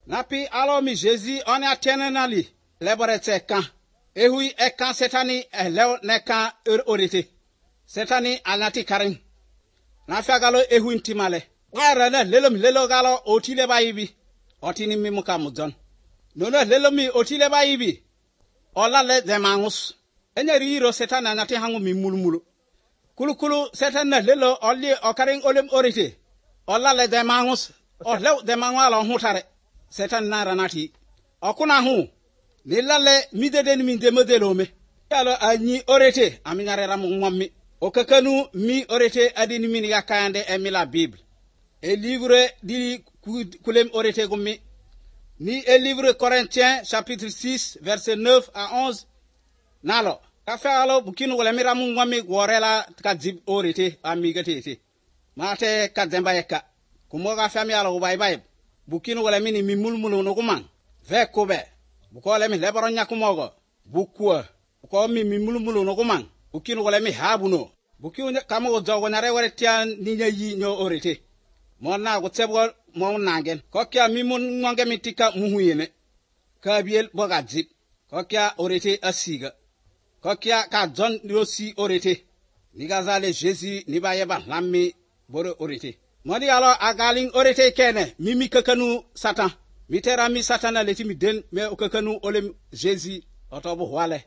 Napi alo mi Jésus on a tenenali leborete kan. Ehui ekan setani lew nekan orite. Setani alati karin. Nafia galo ehui intimale. Arana lelo galo otile baibi. Otini mimuka mudon. Nono lelo mi otile baibi. Ola le demangus. Enyeri iro setani anati hangu mi mulumulu. Kulu setani lelo oli okaring olem orite. Ola le demangus. Olew demangwa lo hutare. Setani naranati. Okuna hu. Nilale mideden min demodelome. Yalo anyi orete aminare ramu mwami. Okakanu mi orete adini min yakayande emila Bible. Et livre di kulem orete gumi. Ni et livre Corinthiens chapitre 6 verset 9 à 11. Nalo. Kafa alo bukinu wala miramu mwami gworela kadzib orete amigate. Mate kadzemba yeka. Kumoga fami alo bye. Bukinu wala mini mimulmulu nokuman. Ve kobe. Bukole mi lebaron nyakumogo. Bukwa. Buko mi mulumulu no kumang. Bukinu wala mi habuno. Bukiu kamo jogo nare wale tian ninya yi nyo orete. Mona gutsebo mo nangen. Kokya mi mun ngonge mitika muhuyene. Kabiel bogadzip. Kokya orete asiga. Kokya ka John yosi orete. Nigazale Jésus nibayeba lammi bore orete. Moni alo agaling orete kene mimi kakanu Satan. Mitera mi satana leti mi den me okakanu olem Jésus otobo wale.